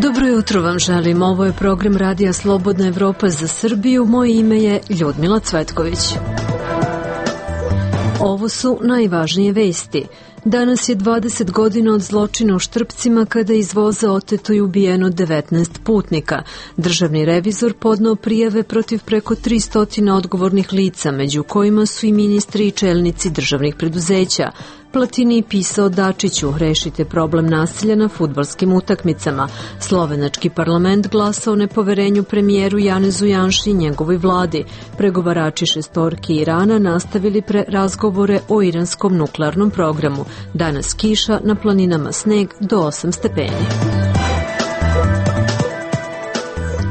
Dobro jutro vam želim. Ovo je program Radija Slobodna Evropa za Srbiju. Moje ime je Ljudmila Cvetković. Ovo su najvažnije vesti. Danas je 20 godina od zločina u Štrpcima kada je iz voza oteto i ubijeno 19 putnika. Državni revizor podneo prijave protiv preko 300 odgovornih lica, među kojima su i ministri i čelnici državnih preduzeća. Platini pisao Dačiću, rešite problem nasilja na fudbalskim utakmicama. Slovenački parlament glasao o nepoverenju premijeru Janezu Janši i njegovoj vladi. Pregovarači šestorki Irana nastavili razgovore o iranskom nuklearnom programu. Danas kiša, na planinama sneg do 8 stepeni.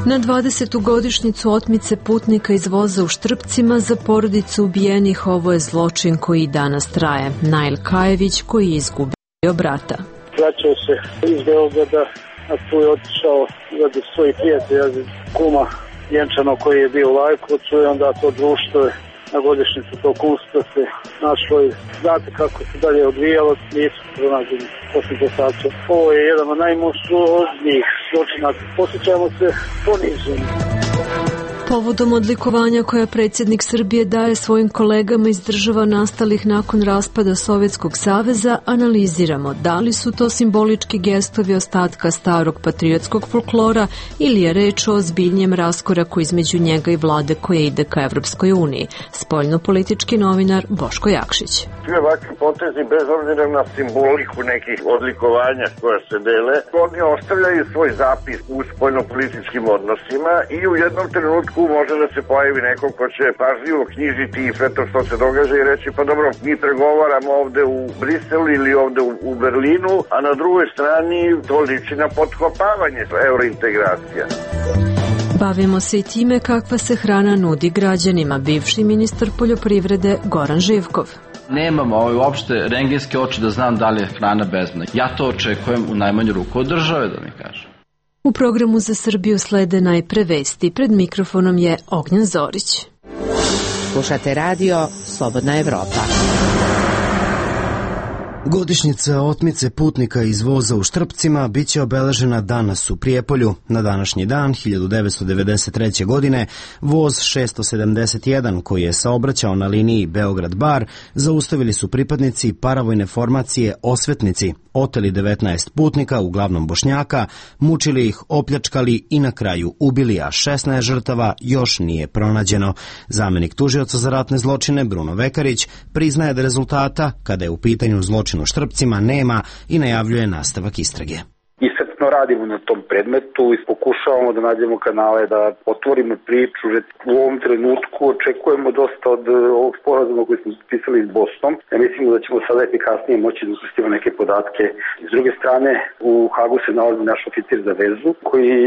Na 20. godišnjicu otmice putnika iz voza u Štrpcima za porodicu ubijenih ovo je zločin koji i danas traje. Nail Kajević koji je izgubio brata. Vraćao se iz Beograda, a tu je otišao radi svojih prijatelja, kuma Jenčano koji je bio u Lajkovcu i onda to društvo je na godišnjicu tog usta se našlo i znate kako se dalje odvijalo, nisu pronađeni posljednje sače. Ovo je jedan od najmonstruoznijih zločina. Posjećamo se poniženi. Povodom odlikovanja koja predsjednik Srbije daje svojim kolegama iz država nastalih nakon raspada Sovjetskog saveza, analiziramo da li su to simbolički gestovi ostatka starog patriotskog folklora ili je reč o ozbiljnijem raskoraku između njega i vlade koja ide ka Evropskoj uniji. Spoljnopolitički novinar Boško Jakšić. Svi ovakvi potezi, bez obzira na simboliku nekih odlikovanja koja se dele, oni ostavljaju svoj zapis u spoljnopolitičkim odnosima i u jednom trenutku može da se pojavi neko ko će pažljivo knjižiti i sve to što se događa i reći pa dobro, mi pregovaramo ovde u Briselu ili ovde u Berlinu, a na drugoj strani to liči na potkopavanje eurointegracija. Bavimo se i time kakva se hrana nudi građanima, bivši ministar poljoprivrede Goran Živkov. Nemamo uopšte rengenske oči da znam da li je hrana bezbedna. Ja to očekujem u najmanju ruku od države, da mi kažem. U programu za Srbiju slede najpre vesti. Pred mikrofonom je Ognjen Zorić. Slušate radio Slobodna Evropa. Godišnjica otmice putnika iz voza u Štrpcima biće obeležena danas u Prijepolju. Na današnji dan, 1993. godine, voz 671 koji je saobraćao na liniji Beograd-Bar zaustavili su pripadnici paravojne formacije Osvetnici, oteli 19 putnika, uglavnom Bošnjaka, mučili ih, opljačkali i na kraju ubili, a 16 žrtava još nije pronađeno. Zamenik tužioca za ratne zločine Bruno Vekarić priznaje da rezultata, kada je u pitanju zločin u Štrpcima, nema i najavljuje nastavak istrage. Iscrpno radimo na tom predmetu i pokušavamo da nađemo kanale, da otvorimo priču. U ovom trenutku očekujemo dosta od ovog sporazuma koji smo potpisali s Bosnom. Ja mislimo da ćemo sada efikasnije moći da ukrstimo neke podatke. S druge strane, u Hagu se nalazi naš oficir za vezu koji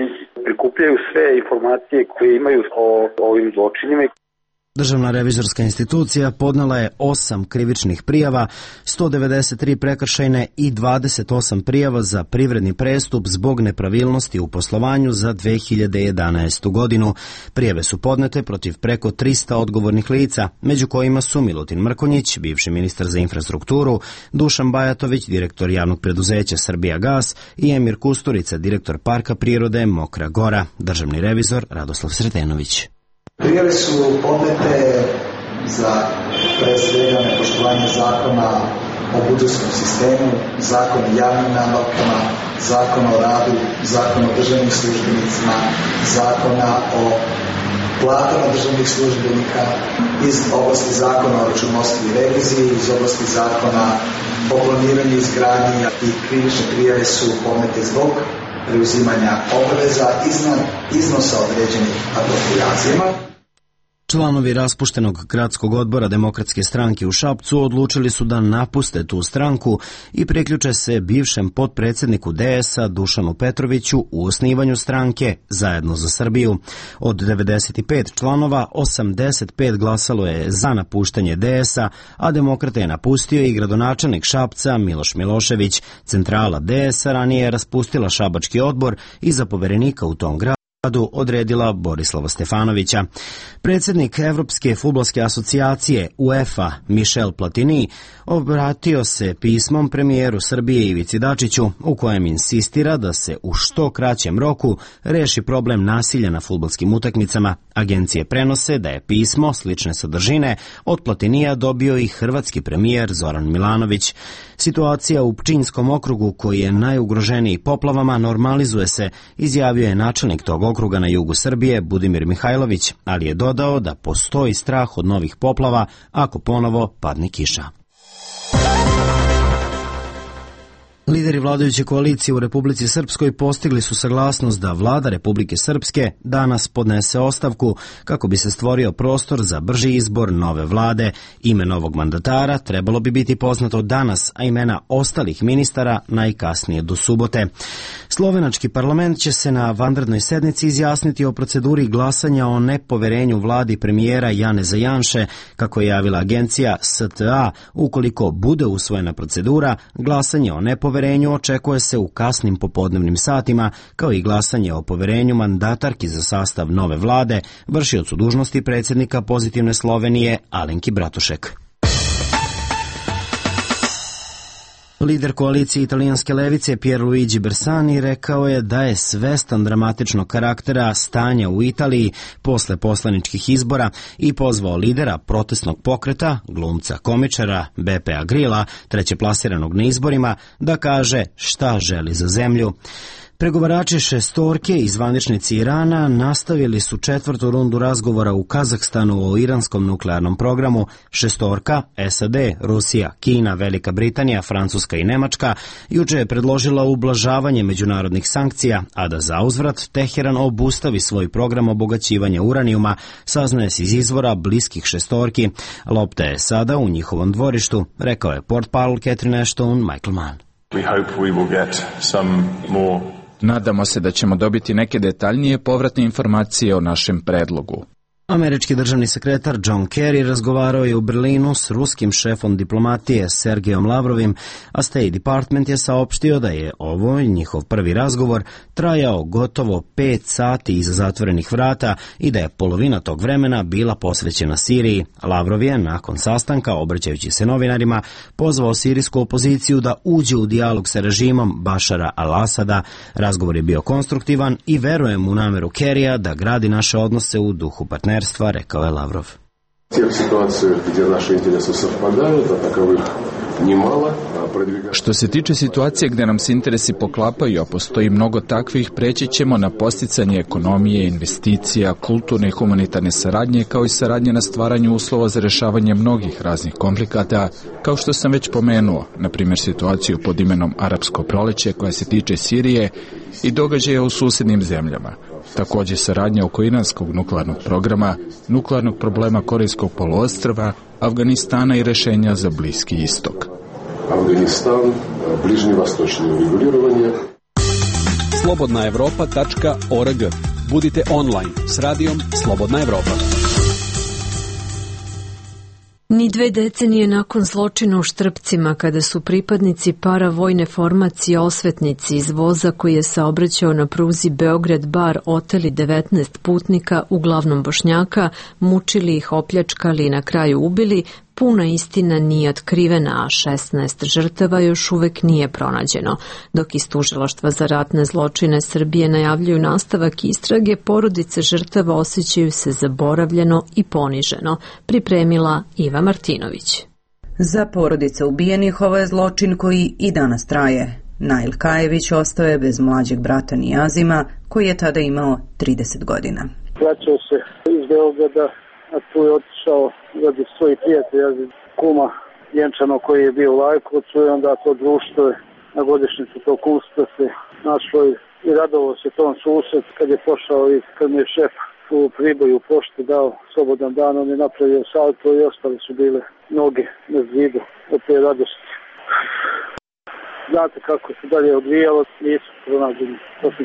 prikupljaju sve informacije koje imaju o ovim zločinima. Državna revizorska institucija podnela je 8 krivičnih prijava, 193 prekršajne i 28 prijava za privredni prestup zbog nepravilnosti u poslovanju za 2011. godinu. Prijave su podnete protiv preko 300 odgovornih lica, među kojima su Milutin Mrkonjić, bivši ministar za infrastrukturu, Dušan Bajatović, direktor javnog preduzeća Srbijagas i Emir Kusturica, direktor Parka prirode Mokra Gora. Državni revizor Radoslav Sretenović. Prijave su podnete za pre svega nepoštovanje zakona o budžetskom sistemu, zakon o javnim nabavkama, zakon o radu, zakon o državnim službenicima, zakona o platama državnih službenika, iz oblasti zakona o računovodstvu i reviziji, iz oblasti zakona o planiranju i izgradnji i krivične prijave su podnete zbog preuzimanja obaveza iznad iznosa određenih aproprijacijama. Članovi raspuštenog gradskog odbora Demokratske stranke u Šapcu odlučili su da napuste tu stranku i priključe se bivšem potpredsjedniku DS-a Dušanu Petroviću u osnivanju stranke Zajedno za Srbiju. Od 95 članova, 85 glasalo je za napuštanje DS-a, a Demokrate je napustio i gradonačelnik Šapca Miloš Milošević. Centrala DS-a ranije je raspustila šabački odbor i za poverenika u tom gradu odredila Borislava Stefanovića. Predsjednik Evropske fudbalske asocijacije UEFA Michel Platini obratio se pismom premijeru Srbije Ivici Dačiću u kojem insistira da se u što kraćem roku reši problem nasilja na fudbalskim utakmicama. Agencije prenose da je pismo slične sadržine od Platinija dobio i hrvatski premijer Zoran Milanović. Situacija u Pčinjskom okrugu, koji je najugroženiji poplavama, normalizuje se, izjavio je načelnik tog okruga na jugu Srbije Budimir Mihajlović, ali je dodao da postoji strah od novih poplava ako ponovo padne kiša. Lideri vladajuće koalicije u Republici Srpskoj postigli su saglasnost da vlada Republike Srpske danas podnese ostavku kako bi se stvorio prostor za brži izbor nove vlade. Ime novog mandatara trebalo bi biti poznato danas, a imena ostalih ministara najkasnije do subote. Slovenački parlament će se na vanrednoj sednici izjasniti o proceduri glasanja o nepoverenju vladi premijera Janeza Janše, kako je javila agencija STA. Ukoliko bude usvojena procedura, glasanje o nepoverenju očekuje se u kasnim popodnevnim satima, kao i glasanje o poverenju mandatarki za sastav nove vlade, vršiocu dužnosti predsjednika Pozitivne Slovenije Alenki Bratušek. Lider koalicije italijanske levice Pierluigi Bersani rekao je da je svestan dramatičnog karaktera stanja u Italiji posle poslaničkih izbora i pozvao lidera protestnog pokreta, glumca komičara Beppea Grilla, trećeplasiranog na izborima, da kaže šta želi za zemlju. Pregovarači šestorke i zvaničnici Irana nastavili su četvrtu rundu razgovora u Kazahstanu o iranskom nuklearnom programu. Šestorka, SAD, Rusija, Kina, Velika Britanija, Francuska i Nemačka juče je predložila ublažavanje međunarodnih sankcija, a da zauzvrat Teheran obustavi svoj program obogaćivanja uranijuma, saznaje se iz izvora bliskih šestorki. Lopta je sada u njihovom dvorištu, rekao je portparol Catherine Ashton Michael Mann. Nadamo se da ćemo dobiti neke detaljnije povratne informacije o našem predlogu. Američki državni sekretar John Kerry razgovarao je u Berlinu s ruskim šefom diplomatije Sergejom Lavrovim, a State Department je saopštio da je ovo njihov prvi razgovor trajao gotovo 5 sati iza zatvorenih vrata i da je polovina tog vremena bila posvećena Siriji. Lavrov je, nakon sastanka, obraćajući se novinarima, pozvao sirijsku opoziciju da uđe u dijalog sa režimom Bašara al-Asada. Razgovor je bio konstruktivan i verujem u nameru Kerrya da gradi naše odnose u duhu partnerstva, rekao je Lavrov. Što se tiče situacije gdje nam se interesi poklapaju, a postoji mnogo takvih, preći ćemo na posticanje ekonomije, investicija, kulturne i humanitarne saradnje, kao i saradnje na stvaranju uslova za rješavanje mnogih raznih komplikata, kao što sam već pomenuo, na primjer situaciju pod imenom Arapsko proleće koja se tiče Sirije i događaja u susjednim zemljama. Također saradnja oko iranskog nuklearnog programa, nuklearnog problema Korejskog poluostrva, Afganistana i rješenja za Bliski istok. Afganistan, bližnje vastočne reguliranje. slobodnaevropa.org. Budite online s radijom Slobodna Evropa. Ni 2 decenije nakon zločina u Štrpcima, kada su pripadnici paravojne formacije osvetnici iz voza koji je saobraćao na pruzi Beograd-Bar oteli 19 putnika, uglavnom Bošnjaka, mučili ih, opljačkali i na kraju ubili, puna istina nije otkrivena, a 16 žrtava još uvek nije pronađeno. Dok iz Tužilaštva za ratne zločine Srbije najavljuju nastavak istrage, porodice žrtava osjećaju se zaboravljeno i poniženo, pripremila Iva Martinović. Za porodice ubijenih ovo je zločin koji i danas traje. Nail Kajević ostao je bez mlađeg brata Nijazima, koji je tada imao 30 godina. Vraćao se iz Beograda, a tu je otišao radi svojih prijatelja, kuma Jenčano koji je bio u Lajkovcu, i onda to društvo je na godišnjicu tog kumstva se našlo i radovao se tom susret kad je pošao i kad mi je šef u Priboju u pošti dao slobodan dan, on je napravio salto i ostali su bile noge na zidu od te radosti. znate kako se dalje odvijalo, nisu pronađeni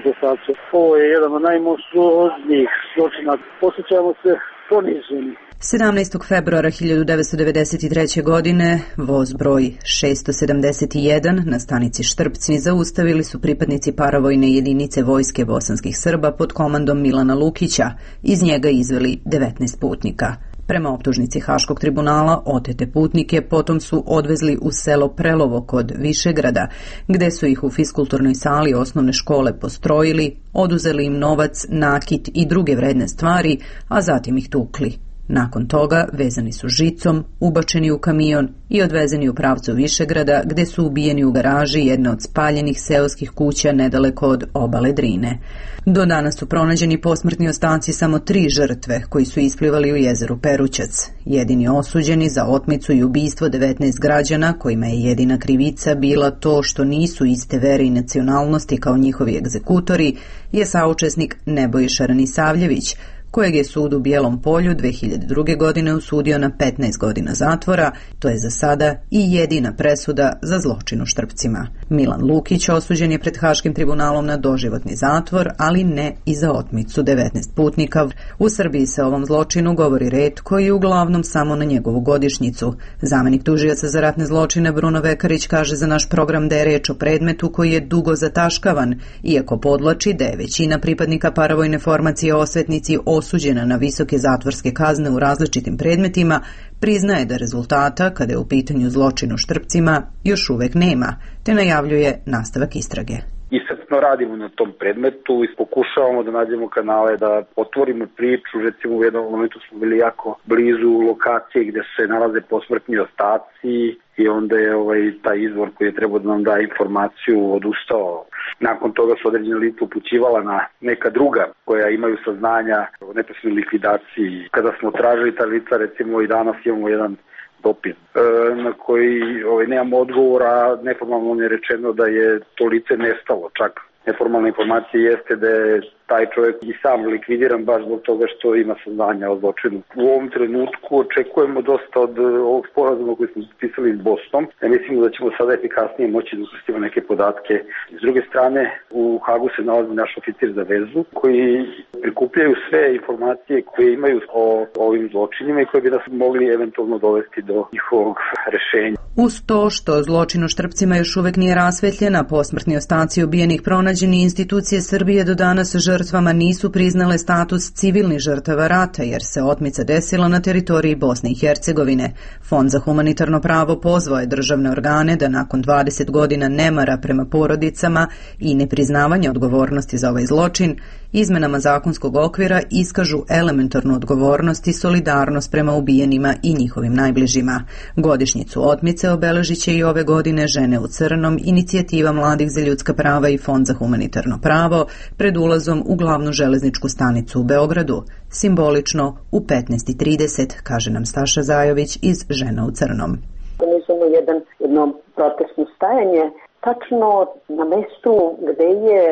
dokazi. Ovo je jedan od najmonstruoznijih zločina. Osjećamo se poniženi. 17. februara 1993. godine voz broj 671 na stanici Štrpci zaustavili su pripadnici paravojne jedinice vojske bosanskih Srba pod komandom Milana Lukića. Iz njega izveli 19 putnika. Prema optužnici Haškog tribunala, otete putnike potom su odvezli u selo Prelovo kod Višegrada, gde su ih u fiskulturnoj sali osnovne škole postrojili, oduzeli im novac, nakit i druge vredne stvari, a zatim ih tukli. Nakon toga vezani su žicom, ubačeni u kamion i odvezeni u pravcu Višegrada, gde su ubijeni u garaži jedne od spaljenih seoskih kuća nedaleko od obale Drine. Do danas su pronađeni posmrtni ostaci samo 3 žrtve koji su isplivali u jezeru Perućac. Jedini osuđeni za otmicu i ubistvo 19 građana, kojima je jedina krivica bila to što nisu iste vere i nacionalnosti kao njihovi egzekutori, je saučesnik Nebojša Ranisavljević, kojeg je sud u Bijelom Polju 2002. godine osudio na 15 godina zatvora, to je za sada i jedina presuda za zločin u Štrpcima. Milan Lukić osuđen je pred Haškim tribunalom na doživotni zatvor, ali ne i za otmicu 19 putnika. U Srbiji se o ovom zločinu govori retko i uglavnom samo na njegovu godišnjicu. Zamenik tužioca za ratne zločine Bruno Vekarić kaže za naš program da je reč o predmetu koji je dugo zataškavan, iako podlači da je većina pripadnika paravojne formacije osvetnici osuđena na visoke zatvorske kazne u različitim predmetima, priznaje da rezultata, kada je u pitanju zločin u Štrpcima, još uvek nema, te najavljuje nastavak istrage. Iscrpno radimo na tom predmetu i pokušavamo da nađemo kanale da otvorimo priču. Recimo u jednom momentu smo bili jako blizu lokacije gde se nalaze posmrtni ostaci i onda je taj izvor koji je trebao da nam da informaciju odustao. Nakon toga su određene lica upućivala na neka druga koja imaju saznanja o neposrednoj likvidaciji. Kada smo tražili ta lica, recimo i danas imamo jedan dopis na koji nemamo odgovora, neformalno je rečeno da je to lice nestalo. Čak neformalna informacija jeste da je taj čovjek i sam likvidiran baš zbog toga što ima saznanja o zločinu. U ovom trenutku očekujemo dosta od ovog sporazuma koji smo potpisali s Bosnom. Mislimo da ćemo sada efikasnije moći da ukrstimo neke podatke. S druge strane, u Hagu se nalazi naš oficir za vezu koji prikupljaju sve informacije koje imaju o ovim zločinima i koje bi nas mogli eventualno dovesti do njihovog rešenja. Uz to što zločin u Štrpcima još uvek nije rasvetljena, posmrtni ostaci ubijenih pronađeni, institucije Srbije do danas žrtvama nisu priznale status civilnih žrtava rata, jer se otmica desila na teritoriji Bosne i Hercegovine. Fond za humanitarno pravo pozvao je državne organe da nakon 20 godina nemara prema porodicama i nepriznavanja odgovornosti za ovaj zločin, izmenama zakonskog okvira iskažu elementarnu odgovornost i solidarnost prema ubijenima i njihovim najbližima. Godišnjicu otmice obeležit će i ove godine Žene u crnom, inicijativa mladih za ljudska prava i Fond za humanitarno pravo pred ulazom u glavnu železničku stanicu u Beogradu, simbolično u 15:30, kaže nam Staša Zajović iz Žena u crnom. Organizujemo jedno protestno stajanje tačno na mestu gde je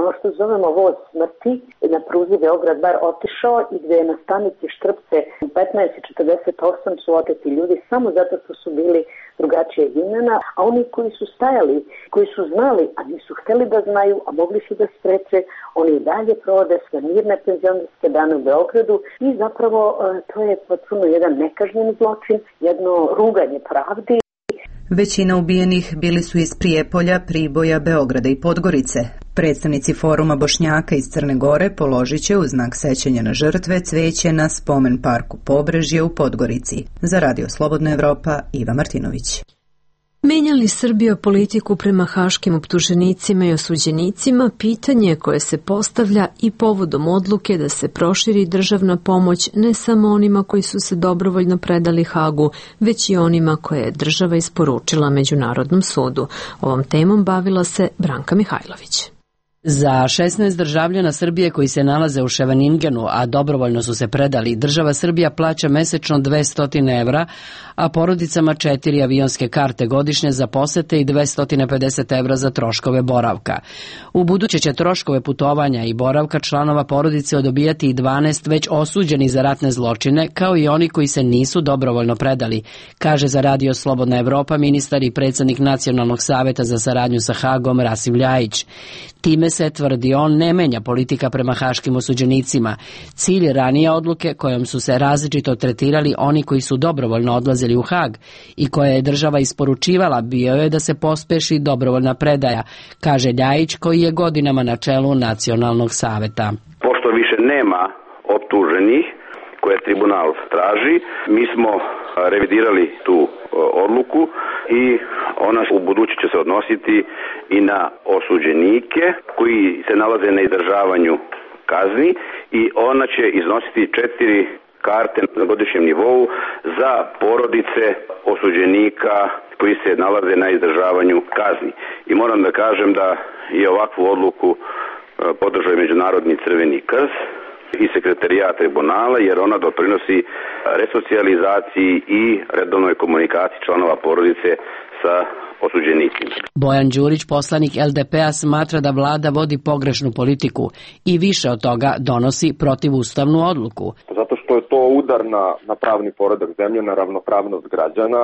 ono što zovemo voz smrti na pruzi Beograd-Bar otišao i gde je na stanici Štrpce u 15:48 su oteti ljudi samo zato što su bili drugačije imena, a oni koji su stajali, koji su znali, a nisu hteli da znaju, a mogli su da spreče, oni dalje provode sve mirne penzionerske dane u Beogradu i zapravo to je potpuno jedan nekažnjen zločin, jedno ruganje pravdi. Većina ubijenih bili su iz Prijepolja, Priboja, Beograda i Podgorice. Predstavnici Foruma Bošnjaka iz Crne Gore položit će u znak sećanja na žrtve cveće na spomen parku Pobrežje u Podgorici. Za Radio Slobodna Evropa, Iva Martinović. Menja li Srbija politiku prema haškim optuženicima i osuđenicima, pitanje koje se postavlja i povodom odluke da se proširi državna pomoć ne samo onima koji su se dobrovoljno predali Hagu, već i onima koje je država isporučila Međunarodnom sudu. Ovom temom bavila se Branka Mihajlović. Za 16 državljana Srbije koji se nalaze u Scheveningenu, a dobrovoljno su se predali, država Srbija plaća mesečno 200 evra, a porodicama 4 avionske karte godišnje za posete i 250 evra za troškove boravka. U buduće će troškove putovanja i boravka članova porodice odobijati i 12 već osuđeni za ratne zločine, kao i oni koji se nisu dobrovoljno predali, kaže za Radio Slobodna Evropa ministar i predsjednik Nacionalnog saveta za saradnju sa Hagom Rasim Ljajić. Time se, tvrdi on, ne menja politika prema haškim osuđenicima. Cilj ranije odluke kojom su se različito tretirali oni koji su dobrovoljno odlazili u Hag i koje je država isporučivala bio je da se pospeši dobrovoljna predaja, kaže Ljajić koji je godinama na čelu Nacionalnog saveta. Pošto više nema optuženih koje tribunal traži, mi smo revidirali tu odluku i ona u budući će se odnositi i na osuđenike koji se nalaze na izdržavanju kazni i ona će iznositi 4 karte na godišnjem nivou za porodice osuđenika koji se nalaze na izdržavanju kazni. I moram da kažem da je ovakvu odluku podržao Međunarodni Crveni krst i sekretarijat tribunala, jer ona doprinosi resocijalizaciji i redovnoj komunikaciji članova porodice sa osuđenicima. Bojan Đurić, poslanik LDP-a, smatra da vlada vodi pogrešnu politiku i više od toga donosi protivustavnu odluku. Zato što je to udar na pravni poredak zemlje, na ravnopravnost građana.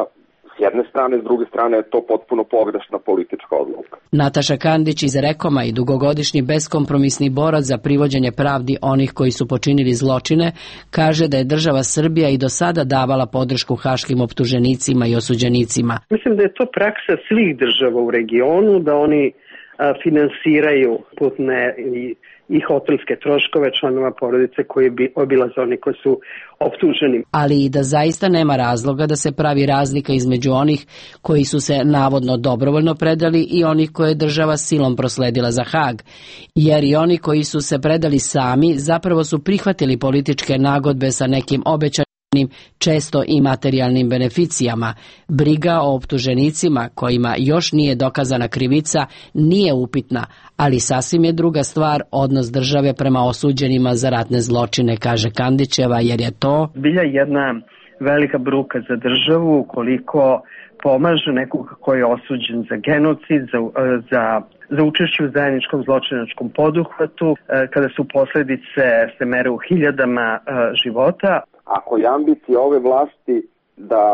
S jedne strane, s druge strane je to potpuno pogrešna politička odluka. Nataša Kandić iz Rekoma i dugogodišnji beskompromisni borac za privođenje pravdi onih koji su počinili zločine, kaže da je država Srbija i do sada davala podršku haškim optuženicima i osuđenicima. Mislim da je to praksa svih država u regionu, da oni finansiraju putne i hotelske troškove članova porodice koji bi obilaze oni koji su optuženi. Ali i da zaista nema razloga da se pravi razlika između onih koji su se navodno dobrovoljno predali i onih koje je država silom prosledila za Hag. Jer i oni koji su se predali sami zapravo su prihvatili političke nagodbe sa nekim obećanjem, često i materijalnim beneficijama. Briga o optuženicima kojima još nije dokazana krivica nije upitna, ali sasvim je druga stvar odnos države prema osuđenima za ratne zločine, kaže Kandićeva, jer je to bilja jedna velika bruka za državu ukoliko pomaže nekog koji je osuđen za genocid, za učešće u zajedničkom zločinačkom poduhvatu, kada su posledice se mere u hiljadama života. Ako je ambicija ove vlasti da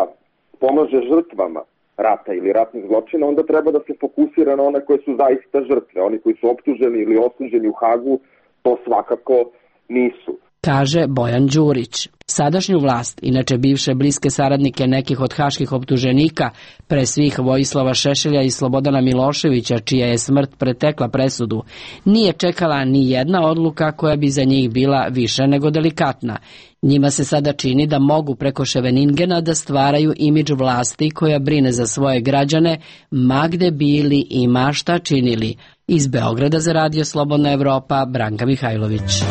pomaže žrtvama rata ili ratnih zločina, onda treba da se fokusira na one koje su zaista žrtve. Oni koji su optuženi ili osuđeni u Hagu, to svakako nisu. Kaže Bojan Đurić. Sadašnju vlast, inače bivše bliske saradnike nekih od haških optuženika, pre svih Vojislava Šešelja i Slobodana Miloševića, čija je smrt pretekla presudu, nije čekala ni jedna odluka koja bi za njih bila više nego delikatna. Njima se sada čini da mogu preko Scheveningena da stvaraju imidž vlasti koja brine za svoje građane, ma gde bili i ma šta činili. Iz Beograda za Radio Slobodna Evropa, Branka Mihajlović.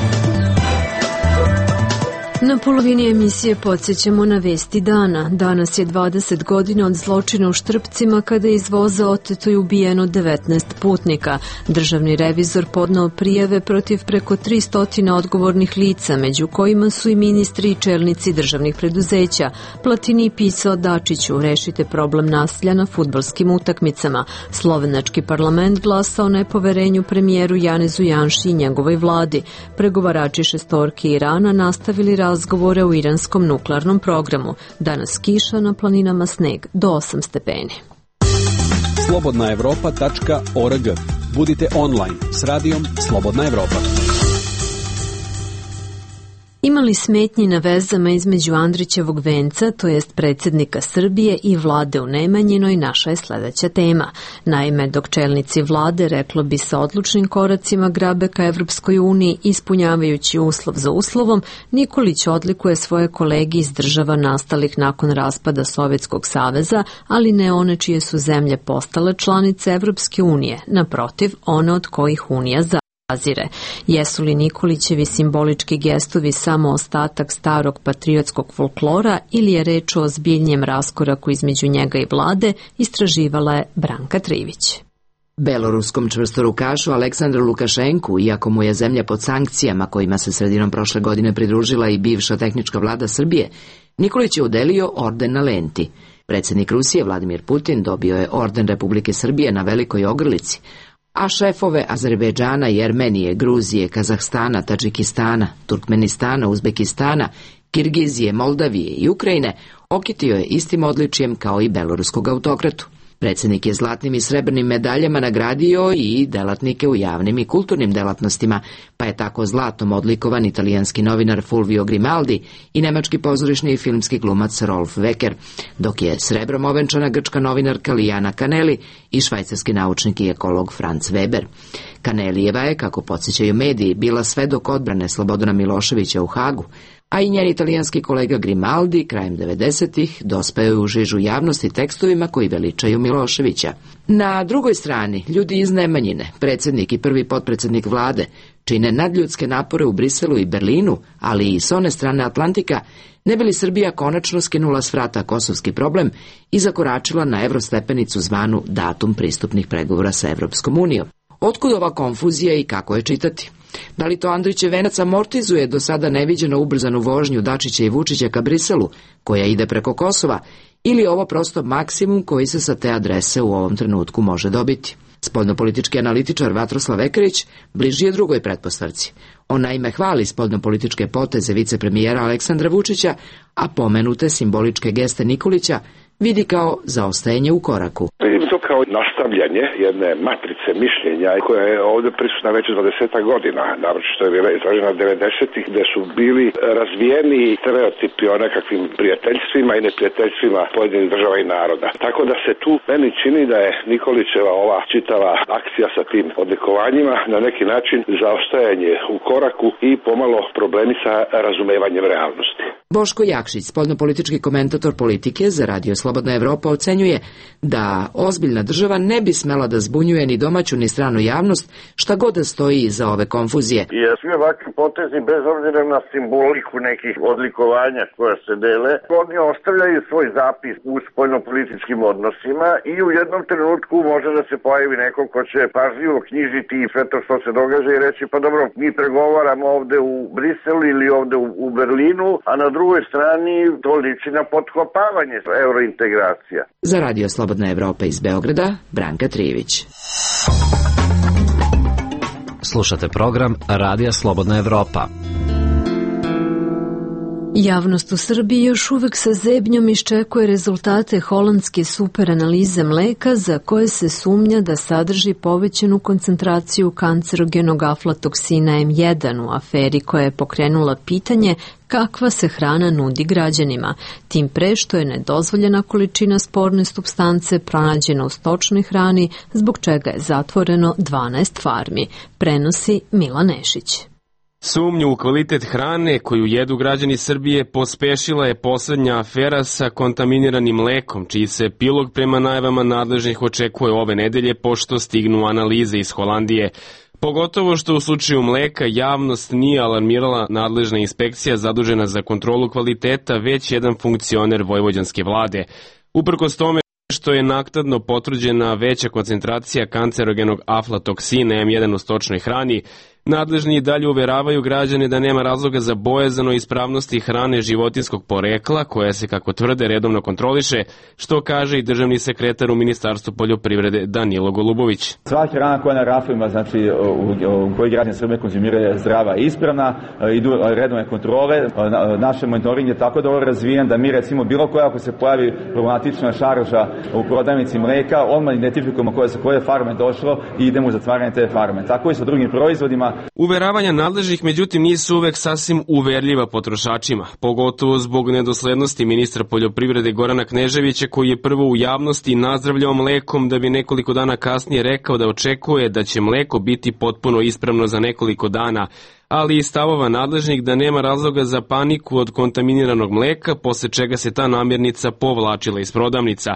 Na polovini emisije podsjećamo na vesti dana. Danas je 20 godina od zločina u Štrpcima kada je iz voza oteto i ubijeno 19 putnika. Državni revizor podneo prijave protiv preko 300 odgovornih lica, među kojima su i ministri i čelnici državnih preduzeća. Platini pisao Dačiću, rešite problem nasilja na fudbalskim utakmicama. Slovenački parlament glasao nepoverenju premijeru Janezu Janši i njegovoj vladi. Pregovarači šestorke Irana nastavili razgovore u iranskom nuklearnom programu. Danas kiša, na planinama sneg do 8 stepeni. slobodnaevropa.org. Budite online s radijom Slobodna Evropa. Imali smetnji na vezama između Andrićevog venca, to jest predsjednika Srbije, i vlade u Nemanjinoj, naša je sledeća tema. Naime, dok čelnici vlade, reklo bi, sa odlučnim koracima grabe ka Evropskoj uniji, ispunjavajući uslov za uslovom, Nikolić odlikuje svoje kolege iz država nastalih nakon raspada Sovjetskog saveza, ali ne one čije su zemlje postale članice Evropske unije, naprotiv, one od kojih unija zazire. Jesu li Nikolićevi simbolički gestovi samo ostatak starog patriotskog folklora ili je reč o ozbiljnijem raskoraku između njega i vlade, istraživala je Branka Trivić. Beloruskom čvrstorukašu Aleksandru Lukašenku, iako mu je zemlja pod sankcijama kojima se sredinom prošle godine pridružila i bivša tehnička vlada Srbije, Nikolić je udelio orden na lenti. Predsjednik Rusije Vladimir Putin dobio je orden Republike Srbije na Velikoj Ogrlici, a šefove Azerbejdžana, Jermenije, Gruzije, Kazahstana, Tadžikistana, Turkmenistana, Uzbekistana, Kirgizije, Moldavije i Ukrajine okitio je istim odličijem kao i beloruskog autokratu. Predsjednik je zlatnim i srebrnim medaljama nagradio i delatnike u javnim i kulturnim delatnostima, pa je tako zlatom odlikovan italijanski novinar Fulvio Grimaldi i nemački pozorišni i filmski glumac Rolf Wecker, dok je srebrom ovenčana grčka novinarka Lijana Kaneli i švajcarski naučnik i ekolog Franz Weber. Kanelijeva je, kako podsjećaju mediji, bila svedok odbrane Slobodana Miloševića u Hagu, a i njen italijanski kolega Grimaldi krajem 90-ih dospeo je u žižu javnosti tekstovima koji veličaju Miloševića. Na drugoj strani, ljudi iz Nemanjine, predsjednik i prvi potpredsjednik vlade, čine nadljudske napore u Briselu i Berlinu, ali i s one strane Atlantika, ne bi li Srbija konačno skinula s vrata kosovski problem i zakoračila na evrostepenicu zvanu datum pristupnih pregovora sa Evropskom unijom. Otkud ova konfuzija i kako je čitati? Da li to Andrićev venac amortizuje do sada neviđeno ubrzanu vožnju Dačića i Vučića ka Briselu, koja ide preko Kosova, ili ovo prosto maksimum koji se sa te adrese u ovom trenutku može dobiti? Spoljnopolitički analitičar Vatroslav Ekerić bliži je drugoj pretpostavci. On naime hvali spoljnopolitičke poteze vicepremijera Aleksandra Vučića, a pomenute simboličke geste Nikolića vidi kao zaostajanje u koraku. Vidim to kao nastavljanje jedne matrice mišljenja koja je ovdje prisutna već 20 godina, naročito je bila izražena 90-ih, gde su bili razvijeni stereotipi o nekakvim prijateljstvima i neprijateljstvima pojedinih država i naroda. Tako da se tu meni čini da je Nikolićeva ova čitava akcija sa tim odlikovanjima na neki način zaostajanje u koraku i pomalo problemi sa razumevanjem realnosti. Boško Jakšić, spoljnopolitički komentator politike za Radio Slobodna Evropa, ocenjuje da ozbiljna država ne bi smela da zbunjuje ni domaću ni stranu javnost, šta god da stoji iza ove konfuzije. Jer svi ovakvi potezi, bez obzira na simboliku nekih odlikovanja koja se dele, oni ostavljaju svoj zapis u spoljnopolitičkim odnosima i u jednom trenutku može da se pojavi neko ko će pažljivo knjižiti i sve to što se događa i reći pa dobro, mi pregovaramo ovde u Briselu ili ovde u Berlinu, a na drugoj strani to liči na potkopavanje eurointegracija. Za Radio Slobodna Evropa iz Beograda, Branka Trijević. Slušate program Radija Slobodna Evropa. Javnost u Srbiji još uvek sa zebnjom iščekuje rezultate holandske superanalize mleka za koje se sumnja da sadrži povećanu koncentraciju kancerogenog aflatoksina M1 u aferi koja je pokrenula pitanje kakva se hrana nudi građanima, tim pre što je nedozvoljena količina sporne supstance pronađena u stočnoj hrani, zbog čega je zatvoreno 12 farmi, prenosi Milan Nešić. Sumnju u kvalitet hrane koju jedu građani Srbije pospešila je poslednja afera sa kontaminiranim mlekom, čiji se epilog prema najavama nadležnih očekuje ove nedelje pošto stignu analize iz Holandije. Pogotovo što u slučaju mleka javnost nije alarmirala nadležna inspekcija zadužena za kontrolu kvaliteta, već jedan funkcioner vojvođanske vlade. Uprkos tome što je naknadno potvrđena veća koncentracija kancerogenog aflatoksina M1 u stočnoj hrani, nadležni i dalje uveravaju građane da nema razloga za bojazan o ispravnosti hrane životinskog porekla, koja se, kako tvrde, redovno kontroliše, što kaže i državni sekretar u Ministarstvu poljoprivrede Danilo Golubović. Sva hrana koja na rafima, znači u kojoj građani Srbije konzumiraju, zdrava i ispravna, idu redovne kontrole. Naše monitoring je tako dobro razvijen da mi recimo bilo koja ako se pojavi problematična šarža u prodavnici mleka, odmah identifikujemo koje farme došlo i idemo u zatvaranje te farme. Tako i sa drugim proizvodima. Uveravanja nadležnih, međutim, nisu uvek sasvim uverljiva potrošačima, pogotovo zbog nedoslednosti ministra poljoprivrede Gorana Kneževića, koji je prvo u javnosti nazdravljao mlekom da bi nekoliko dana kasnije rekao da očekuje da će mleko biti potpuno ispravno za nekoliko dana, ali i stavova nadležnih da nema razloga za paniku od kontaminiranog mleka, posle čega se ta namirnica povlačila iz prodavnica.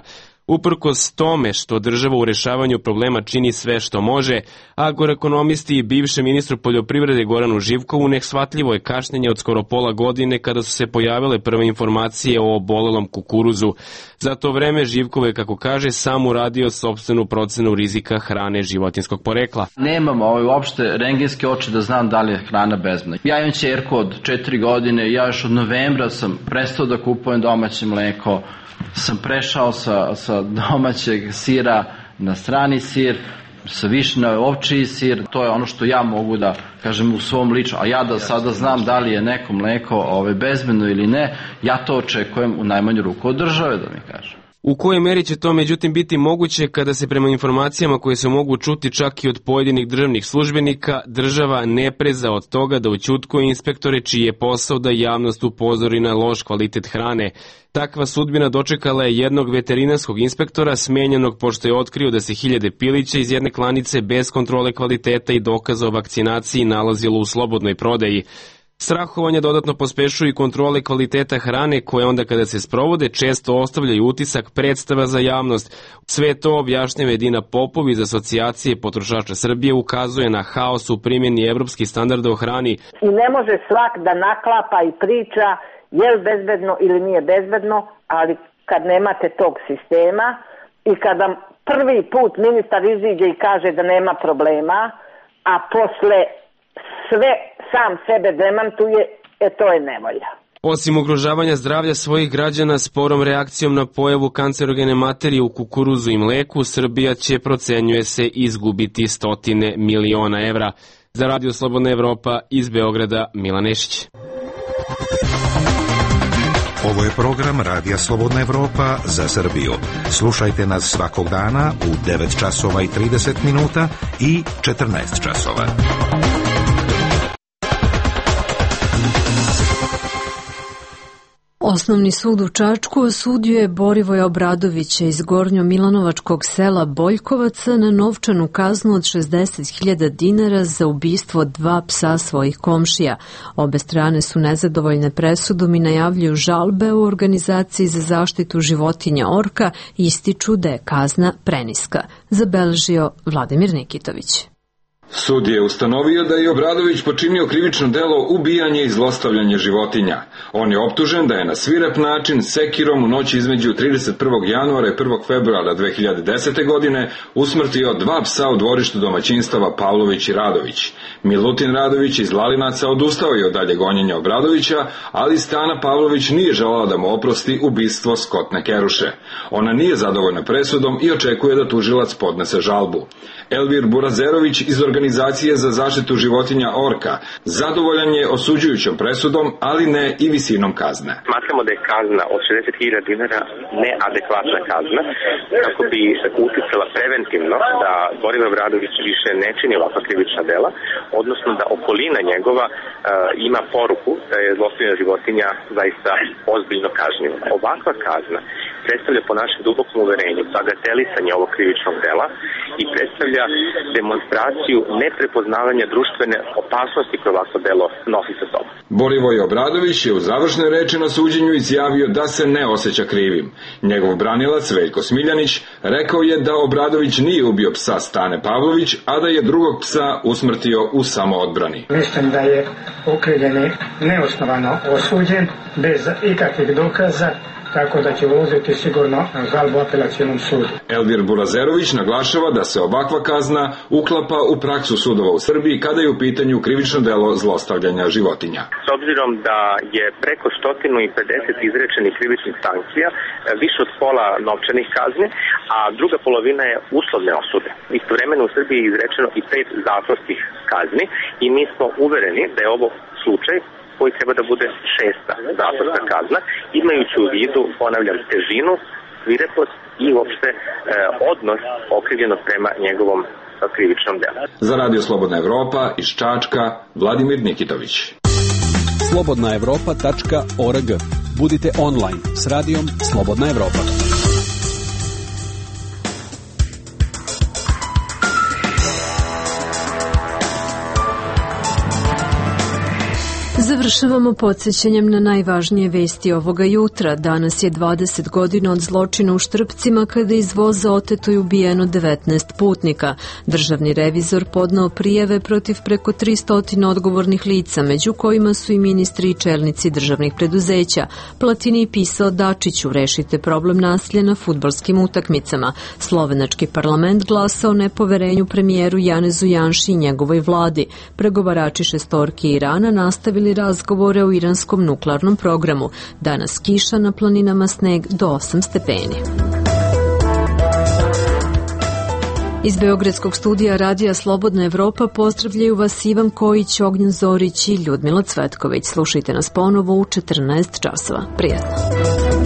Uprkos tome što država u rešavanju problema čini sve što može, agroekonomisti i bivšem ministru poljoprivrede Goranu Živkovu neshvatljivo je kašnjenje od skoro pola godine kada su se pojavile prve informacije o obolelom kukuruzu. Za to vreme Živkov je, kako kaže, sam uradio sopstvenu procenu rizika hrane životinskog porekla. Nemam uopšte rengenske oči da znam da li je hrana bezbedna. Ja imam ćerku od 4 godine, ja još od novembra sam prestao da kupujem domaće mleko, sam prešao sa domaćeg sira na strani sir, sa više na ovčiji sir. To je ono što ja mogu da kažem u svom ličnom, a ja da sada znam da li je neko mleko bezbedno ili ne, ja to očekujem u najmanju ruku od države, da mi kažem. U kojoj meri će to međutim biti moguće kada se prema informacijama koje se mogu čuti čak i od pojedinih državnih službenika, država ne preza od toga da ućutkuje inspektore čiji je posao da javnost upozori na loš kvalitet hrane. Takva sudbina dočekala je jednog veterinarskog inspektora smenjenog pošto je otkrio da se 1000 pilića iz jedne klanice bez kontrole kvaliteta i dokaza o vakcinaciji nalazilo u slobodnoj prodaji. Strahovanje dodatno pospešuju i kontrole kvaliteta hrane koje onda kada se sprovode često ostavljaju utisak predstava za javnost. Sve to objašnjava Edina Popov iz Asocijacije potrošača Srbije, ukazuje na haos u primjeni evropskih standarda o hrani. I ne može svak da naklapa i priča je li bezbedno ili nije bezbedno, ali kad nemate tog sistema i kada prvi put ministar iziđe i kaže da nema problema, a posle sve sam sebe demantuje, to je nevolja. Osim ugrožavanja zdravlja svojih građana sporom reakcijom na pojavu kancerogene materije u kukuruzu i mleku, Srbija će, procenjuje se, izgubiti 100 miliona evra. Za Radio Slobodna Evropa iz Beograda, Milan Nešić. Ovo je program Radija Slobodna Evropa za Srbiju. Slušajte nas svakog dana u 9 časova i 30 minuta i 14 časova. Osnovni sud u Čačku osudio je Borivoja Obradovića iz Gornjo-Milanovačkog sela Boljkovaca na novčanu kaznu od 60.000 dinara za ubistvo 2 psa svojih komšija. Obe strane su nezadovoljne presudom i najavljuju žalbe u Organizaciji za zaštitu životinja Orka i ističu da je kazna preniska, zabeležio Vladimir Nikitović. Sud je ustanovio da je Obradović počinio krivično delo ubijanje i zlostavljanje životinja. On je optužen da je na svirep način sekirom u noći između 31. januara i 1. februara 2010. godine usmrtio 2 psa u dvorištu domaćinstava Pavlović i Radović. Milutin Radović iz Lalinaca odustao je od dalje gonjenja Obradovića, ali Stana Pavlović nije želala da mu oprosti ubistvo Skotne Keruše. Ona nije zadovoljna presudom i očekuje da tužilac podnese žalbu. Elvir Burazerović iz Organizacije za zaštitu životinja Orka zadovoljan je osuđujućom presudom, ali ne i visinom kazne. Smatramo da je kazna od 60.000 dinara neadekvatna kazna, kako bi uticala preventivno da Borivoje Obradović više ne čini ovakva krivična dela, odnosno da okolina njegova ima poruku da je zlostavljanje životinja zaista ozbiljno kažnjivo. Ovakva kazna predstavlja po našem dubokom uverenju bagatelisanje ovog krivičnog dela i predstavlja demonstraciju neprepoznavanja društvene opasnosti koje ovakvo delo nosi sa sobom. Borivoj Obradović je u završnoj reči na suđenju izjavio da se ne osjeća krivim. Njegov branilac Veljko Smiljanić rekao je da Obradović nije ubio psa Stane Pavlović, a da je drugog psa usmrtio u samoodbrani. Mislim da je okrivljeni neosnovano osuđen bez ikakvih dokaza, tako da će uložiti sigurno žalbu apelacionom sudu. Elvir Burazerović naglašava da se ovakva kazna uklapa u praksu sudova u Srbiji kada je u pitanju krivično delo zlostavljanja životinja. S obzirom da je preko 150 izrečenih krivičnih sankcija, više od pola novčanih kazni, a druga polovina je uslovne osude. Istovremeno u Srbiji je izrečeno i 5 zatvorskih kazni i mi smo uvereni da je ovo slučaj koji treba da bude 6. zatvorska kazna, imajući u vidu, ponavljam, težinu, svirepost i uopšte odnos okrivljenog prema njegovom krivičnom delu. Za Radio Slobodna Evropa iz Čačka, Vladimir Nikitović. slobodnaevropa.org. Budite online s radijom Slobodna Evropa. Završavamo podsjećanjem na najvažnije vesti ovoga jutra. Danas je 20 godina od zločina u Štrpcima kada iz voza oteto i ubijeno 19 putnika. Državni revizor podneo prijave protiv preko 300 odgovornih lica, među kojima su i ministri i čelnici državnih preduzeća. Platini pisao Dačiću: rešite problem nasilja na fudbalskim utakmicama. Slovenački parlament glasao o nepoverenju premijeru Janezu Janši i njegovoj vladi. Pregovarači šestorki Irana nastavili razgovore o iranskom nuklearnom programu. Danas kiša, na planinama sneg do 8 stepeni. Iz Beogradskog studija Radija Slobodna Evropa pozdravljaju vas Ivan Kojić, Ognjen Zorić i Ljudmila Cvetković. Slušajte nas ponovo u 14 časova. Prijatno.